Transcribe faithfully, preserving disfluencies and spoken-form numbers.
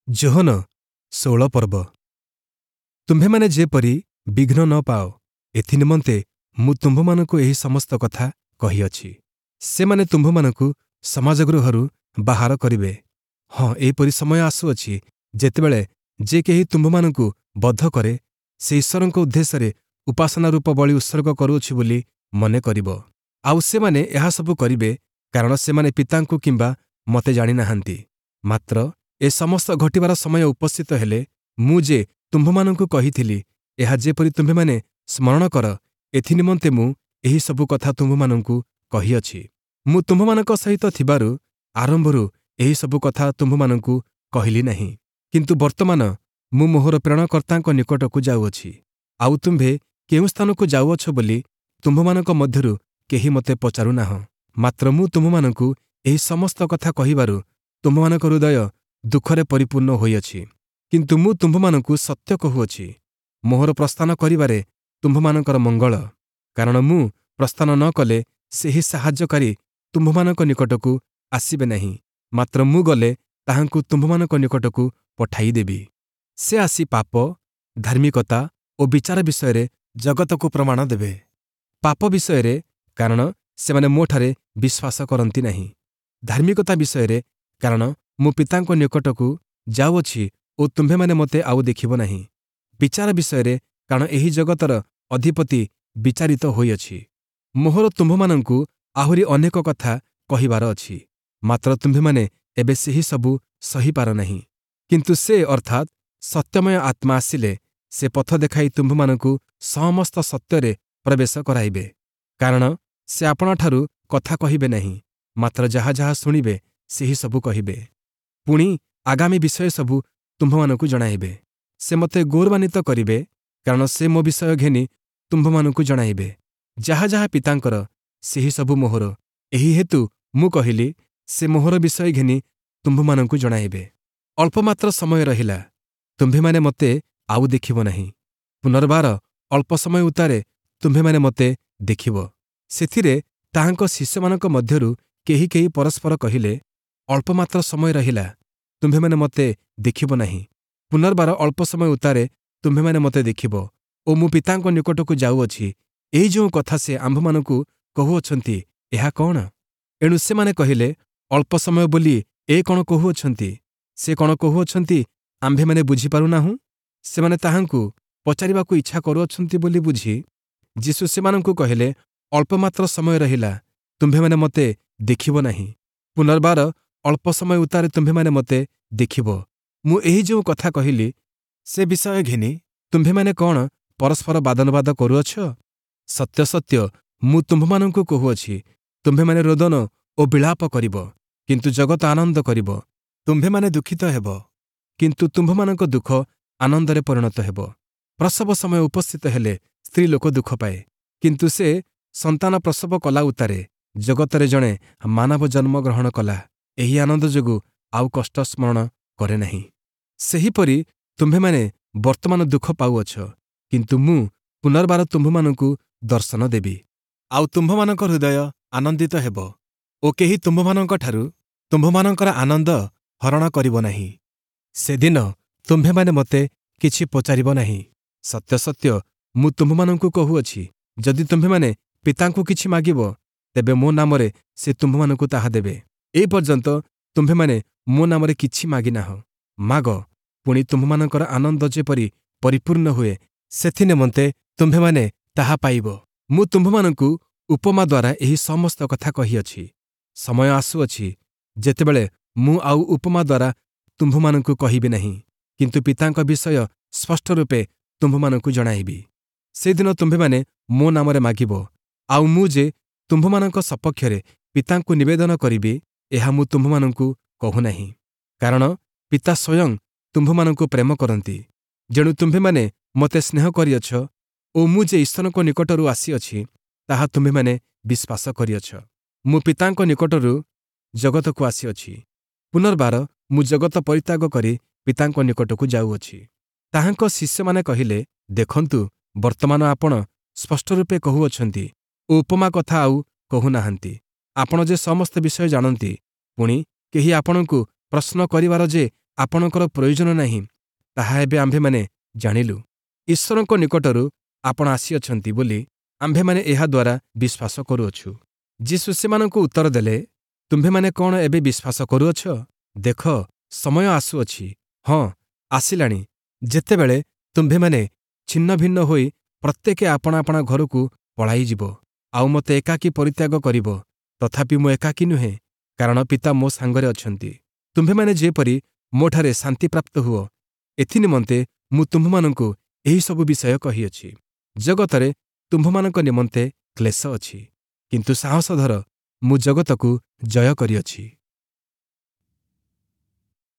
ଯୋହନ ଷୋହଳ ପର୍ବ ତୁମ୍ଭେମାନେ ଯେପରି ବିଘ୍ନ ନ ପାଅ, ଏଥିନିମନ୍ତେ ମୁଁ ତୁମ୍ଭମାନଙ୍କୁ ଏହି ସମସ୍ତ କଥା କହିଅଛି। ସେମାନେ ତୁମ୍ଭମାନଙ୍କୁ ସମାଜଗୃହରୁ ବାହାର କରିବେ। ହଁ, ଏହିପରି ସମୟ ଆସୁଅଛି, ଯେତେବେଳେ ଯେ କେହି ତୁମ୍ଭମାନଙ୍କୁ ବଧ କରେ, ସେ ଈଶ୍ୱରଙ୍କ ଉଦ୍ଦେଶ୍ୟରେ ଉପାସନା ରୂପ ବଳି ଉତ୍ସର୍ଗ କରୁଅଛି ବୋଲି ମନେ କରିବ। ଆଉ ସେମାନେ ଏହା ସବୁ କରିବେ, କାରଣ ସେମାନେ ପିତାଙ୍କୁ କିମ୍ବା ମୋତେ ଜାଣିନାହାନ୍ତି। ମାତ୍ର ଏ ସମସ୍ତ ଘଟିବାର ସମୟ ଉପସ୍ଥିତ ହେଲେ ମୁଁ ଯେ ତୁମ୍ଭମାନଙ୍କୁ କହିଥିଲି, ଏହା ଯେପରି ତୁମ୍ଭେମାନେ ସ୍ମରଣ କର, ଏଥିନିମନ୍ତେ ମୁଁ ଏହି ସବୁ କଥା ତୁମ୍ଭମାନଙ୍କୁ କହିଅଛି। ମୁଁ ତୁମ୍ଭମାନଙ୍କ ସହିତ ଥିବାରୁ ଆରମ୍ଭରୁ ଏହି ସବୁ କଥା ତୁମ୍ଭମାନଙ୍କୁ କହିଲି ନାହିଁ। କିନ୍ତୁ ବର୍ତ୍ତମାନ ମୁଁ ମୋହର ପ୍ରେରଣକର୍ତ୍ତାଙ୍କ ନିକଟକୁ ଯାଉଅଛି। ଆଉ ତୁମ୍ଭେ କେଉଁ ସ୍ଥାନକୁ ଯାଉଅଛ ବୋଲି ତୁମ୍ଭମାନଙ୍କ ମଧ୍ୟରୁ କେହି ମୋତେ ପଚାରୁନାହଁ। ମାତ୍ର ମୁଁ ତୁମ୍ଭମାନଙ୍କୁ ଏହି ସମସ୍ତ କଥା କହିବାରୁ ତୁମ୍ଭମାନଙ୍କ ହୃଦୟ ଦୁଃଖରେ ପରିପୂର୍ଣ୍ଣ ହୋଇଅଛି। କିନ୍ତୁ ମୁଁ ତୁମ୍ଭମାନଙ୍କୁ ସତ୍ୟ କହୁଅଛି, ମୋହର ପ୍ରସ୍ଥାନ କରିବାରେ ତୁମ୍ଭମାନଙ୍କର ମଙ୍ଗଳ। କାରଣ ମୁଁ ପ୍ରସ୍ଥାନ ନ କଲେ ସେହି ସାହାଯ୍ୟକାରୀ ତୁମ୍ଭମାନଙ୍କ ନିକଟକୁ ଆସିବେ ନାହିଁ, ମାତ୍ର ମୁଁ ଗଲେ ତାହାଙ୍କୁ ତୁମ୍ଭମାନଙ୍କ ନିକଟକୁ ପଠାଇଦେବି। ସେ ଆସି ପାପ, ଧାର୍ମିକତା ଓ ବିଚାର ବିଷୟରେ ଜଗତକୁ ପ୍ରମାଣ ଦେବେ। ପାପ ବିଷୟରେ, କାରଣ ସେମାନେ ମୋଠାରେ ବିଶ୍ୱାସ କରନ୍ତି ନାହିଁ। ଧାର୍ମିକତା ବିଷୟରେ, କାରଣ ମୁଁ ପିତାଙ୍କ ନିକଟକୁ ଯାଉଅଛି ଓ ତୁମ୍ଭେମାନେ ମୋତେ ଆଉ ଦେଖିବ ନାହିଁ। ବିଚାର ବିଷୟରେ, କାରଣ ଏହି ଜଗତର ଅଧିପତି ବିଚାରିତ ହୋଇଅଛି। ମୋହର ତୁମ୍ଭମାନଙ୍କୁ ଆହୁରି ଅନେକ କଥା କହିବାର ଅଛି, ମାତ୍ର ତୁମ୍ଭେମାନେ ଏବେ ସେହି ସବୁ ସହିପାର ନାହିଁ। କିନ୍ତୁ ସେ, ଅର୍ଥାତ୍ ସତ୍ୟମୟ ଆତ୍ମା ଆସିଲେ ସେ ପଥ ଦେଖାଇ ତୁମ୍ଭମାନଙ୍କୁ ସମସ୍ତ ସତ୍ୟରେ ପ୍ରବେଶ କରାଇବେ। କାରଣ ସେ ଆପଣାଠାରୁ କଥା କହିବେ ନାହିଁ, ମାତ୍ର ଯାହା ଯାହା ଶୁଣିବେ ସେହି ସବୁ କହିବେ। ପୁଣି ଆଗାମୀ ବିଷୟ ସବୁ ତୁମ୍ଭମାନଙ୍କୁ ଜଣାଇବେ। ସେ ମୋତେ ଗୌରବାନ୍ୱିତ କରିବେ, କାରଣ ସେ ମୋ ବିଷୟ ଘେନି ତୁମ୍ଭମାନଙ୍କୁ ଜଣାଇବେ। ଯାହା ଯାହା ପିତାଙ୍କର, ସେହି ସବୁ ମୋହର। ଏହି ହେତୁ ମୁଁ କହିଲି, ସେ ମୋହର ବିଷୟ ଘେନି ତୁମ୍ଭମାନଙ୍କୁ ଜଣାଇବେ। ଅଳ୍ପମାତ୍ର ସମୟ ରହିଲା, ତୁମ୍ଭେମାନେ ମୋତେ ଆଉ ଦେଖିବ ନାହିଁ। ପୁନର୍ବାର ଅଳ୍ପ ସମୟ ଉତ୍ତାରେ ତୁମ୍ଭେମାନେ ମୋତେ ଦେଖିବ। ସେଥିରେ ତାହାଙ୍କ ଶିଷ୍ୟମାନଙ୍କ ମଧ୍ୟରୁ କେହି କେହି ପରସ୍ପର କହିଲେ, ଅଳ୍ପମାତ୍ର ସମୟ ରହିଲା, ତୁମ୍ଭେମାନେ ମୋତେ ଦେଖିବ ନାହିଁ। ପୁନର୍ବାର ଅଳ୍ପ ସମୟ ଉତ୍ତାରେ ତୁମ୍ଭେମାନେ ମୋତେ ଦେଖିବ ଓ ମୁଁ ପିତାଙ୍କ ନିକଟକୁ ଯାଉଅଛି। ଏହି ଯେଉଁ କଥା ସେ ଆମ୍ଭମାନଙ୍କୁ କହୁଅଛନ୍ତି, ଏହା କଣ? ଏଣୁ ସେମାନେ କହିଲେ, ଅଳ୍ପ ସମୟ ବୋଲି ଏ କଣ କହୁଅଛନ୍ତି? ସେ କଣ କହୁଅଛନ୍ତି ଆମ୍ଭେମାନେ ବୁଝିପାରୁନାହୁଁ? ସେମାନେ ତାହାଙ୍କୁ ପଚାରିବାକୁ ଇଚ୍ଛା କରୁଅଛନ୍ତି ବୋଲି ବୁଝି ଯୀଶୁ ସେମାନଙ୍କୁ କହିଲେ, ଅଳ୍ପମାତ୍ର ସମୟ ରହିଲା, ତୁମ୍ଭେମାନେ ମୋତେ ଦେଖିବ ନାହିଁ। ପୁନର୍ବାର ଅଳ୍ପ ସମୟ ଉତ୍ତାରେ ତୁମ୍ଭେମାନେ ମୋତେ ଦେଖିବ। ମୁଁ ଏହି ଯେଉଁ କଥା କହିଲି, ସେ ବିଷୟ ଘେନି ତୁମ୍ଭେମାନେ କଣ ପରସ୍ପର ବାଦାନୁବାଦ କରୁଅଛ? ସତ୍ୟ ସତ୍ୟ ମୁଁ ତୁମ୍ଭମାନଙ୍କୁ କହୁଅଛି, ତୁମ୍ଭେମାନେ ରୋଦନ ଓ ବିଳାପ କରିବ, କିନ୍ତୁ ଜଗତ ଆନନ୍ଦ କରିବ। ତୁମ୍ଭେମାନେ ଦୁଃଖିତ ହେବ, କିନ୍ତୁ ତୁମ୍ଭମାନଙ୍କ ଦୁଃଖ ଆନନ୍ଦରେ ପରିଣତ ହେବ। ପ୍ରସବ ସମୟ ଉପସ୍ଥିତ ହେଲେ ସ୍ତ୍ରୀ ଲୋକ ଦୁଃଖ ପାଏ, କିନ୍ତୁ ସେ ସନ୍ତାନ ପ୍ରସବ କଲା ଉତ୍ତାରେ ଜଗତରେ ଜଣେ ମାନବ ଜନ୍ମ ଗ୍ରହଣ କଲା, ଏହି ଆନନ୍ଦ ଯୋଗୁଁ ଆଉ କଷ୍ଟ ସ୍ମରଣ କରେ ନାହିଁ। ସେହିପରି ତୁମ୍ଭେମାନେ ବର୍ତ୍ତମାନ ଦୁଃଖ ପାଉଅଛ, କିନ୍ତୁ ମୁଁ ପୁନର୍ବାର ତୁମ୍ଭମାନଙ୍କୁ ଦର୍ଶନ ଦେବି, ଆଉ ତୁମ୍ଭମାନଙ୍କ ହୃଦୟ ଆନନ୍ଦିତ ହେବ ଓ କେହି ତୁମ୍ଭମାନଙ୍କଠାରୁ ତୁମ୍ଭମାନଙ୍କର ଆନନ୍ଦ ହରଣ କରିବ ନାହିଁ। ସେଦିନ ତୁମ୍ଭେମାନେ ମୋତେ କିଛି ପଚାରିବ ନାହିଁ। ସତ୍ୟ ସତ୍ୟ ମୁଁ ତୁମ୍ଭମାନଙ୍କୁ କହୁଅଛି, ଯଦି ତୁମ୍ଭେମାନେ ପିତାଙ୍କୁ କିଛି ମାଗିବ, ତେବେ ମୋ ନାମରେ ସେ ତୁମ୍ଭମାନଙ୍କୁ ତାହା ଦେବେ। ଏ ପର୍ଯ୍ୟନ୍ତ ତୁମ୍ଭେମାନେ ମୋ ନାମରେ କିଛି ମାଗିନାହଁ। ମାଗ, ପୁଣି ତୁମ୍ଭମାନଙ୍କର ଆନନ୍ଦ ଯେପରି ପରିପୂର୍ଣ୍ଣ ହୁଏ, ସେଥିନିମନ୍ତେ ତୁମ୍ଭେମାନେ ତାହା ପାଇବ। ମୁଁ ତୁମ୍ଭମାନଙ୍କୁ ଉପମା ଦ୍ୱାରା ଏହି ସମସ୍ତ କଥା କହିଅଛି। ସମୟ ଆସୁଅଛି, ଯେତେବେଳେ ମୁଁ ଆଉ ଉପମା ଦ୍ୱାରା ତୁମ୍ଭମାନଙ୍କୁ କହିବି ନାହିଁ, କିନ୍ତୁ ପିତାଙ୍କ ବିଷୟ ସ୍ପଷ୍ଟ ରୂପେ ତୁମ୍ଭମାନଙ୍କୁ ଜଣାଇବି। ସେଦିନ ତୁମ୍ଭେମାନେ ମୋ ନାମରେ ମାଗିବ, ଆଉ ମୁଁ ଯେ ତୁମ୍ଭମାନଙ୍କ ସପକ୍ଷରେ ପିତାଙ୍କୁ ନିବେଦନ କରିବି, ଏହା ମୁଁ ତୁମ୍ଭମାନଙ୍କୁ କହୁନାହିଁ। କାରଣ ପିତା ସ୍ୱୟଂ ତୁମ୍ଭମାନଙ୍କୁ ପ୍ରେମ କରନ୍ତି, ଯେଣୁ ତୁମ୍ଭେମାନେ ମୋତେ ସ୍ନେହ କରିଅଛ ଓ ମୁଁ ଯେ ଈଶ୍ୱରଙ୍କ ନିକଟରୁ ଆସିଅଛି, ତାହା ତୁମ୍ଭେମାନେ ବିଶ୍ୱାସ କରିଅଛ। ମୁଁ ପିତାଙ୍କ ନିକଟରୁ ଜଗତକୁ ଆସିଅଛି। ପୁନର୍ବାର ମୁଁ ଜଗତ ପରିତ୍ୟାଗ କରି ପିତାଙ୍କ ନିକଟକୁ ଯାଉଅଛି। ତାହାଙ୍କ ଶିଷ୍ୟମାନେ କହିଲେ, ଦେଖନ୍ତୁ, ବର୍ତ୍ତମାନ ଆପଣ ସ୍ପଷ୍ଟ ରୂପେ କହୁଅଛନ୍ତି ଓ ଉପମା କଥା ଆଉ କହୁନାହାନ୍ତି। ଆପଣ ଯେ ସମସ୍ତ ବିଷୟ ଜାଣନ୍ତି, ପୁଣି କେହି ଆପଣଙ୍କୁ ପ୍ରଶ୍ନ କରିବାର ଯେ ଆପଣଙ୍କର ପ୍ରୟୋଜନ ନାହିଁ, ତାହା ଏବେ ଆମ୍ଭେମାନେ ଜାଣିଲୁ। ଈଶ୍ୱରଙ୍କ ନିକଟରୁ ଆପଣ ଆସିଅଛନ୍ତି ବୋଲି ଆମ୍ଭେମାନେ ଏହା ଦ୍ୱାରା ବିଶ୍ୱାସ କରୁଅଛୁ। ଯୀଶୁ ସେମାନଙ୍କୁ ଉତ୍ତର ଦେଲେ, ତୁମ୍ଭେମାନେ କ'ଣ ଏବେ ବିଶ୍ୱାସ କରୁଅଛ? ଦେଖ, ସମୟ ଆସୁଅଛି, ହଁ ଆସିଲାଣି, ଯେତେବେଳେ ତୁମ୍ଭେମାନେ ଛିନ୍ନଭିନ୍ନ ହୋଇ ପ୍ରତ୍ୟେକେ ଆପଣା ଆପଣା ଘରକୁ ପଳାଇଯିବ, ଆଉ ମୋତେ ଏକାକୀ ପରିତ୍ୟାଗ କରିବ। ତଥାପି ମୁଁ ଏକାକୀ ନୁହେଁ, କାରଣ ପିତା ମୋ ସାଙ୍ଗରେ ଅଛନ୍ତି। ତୁମ୍ଭେମାନେ ଯେପରି ମୋଠାରେ ଶାନ୍ତିପ୍ରାପ୍ତ ହୁଅ, ଏଥିନିମନ୍ତେ ମୁଁ ତୁମ୍ଭମାନଙ୍କୁ ଏହିସବୁ ବିଷୟ କହିଅଛି। ଜଗତରେ ତୁମ୍ଭମାନଙ୍କ ନିମନ୍ତେ କ୍ଲେଶ ଅଛି, କିନ୍ତୁ ସାହସ ଧର, ମୁଁ ଜଗତକୁ ଜୟ କରିଅଛି।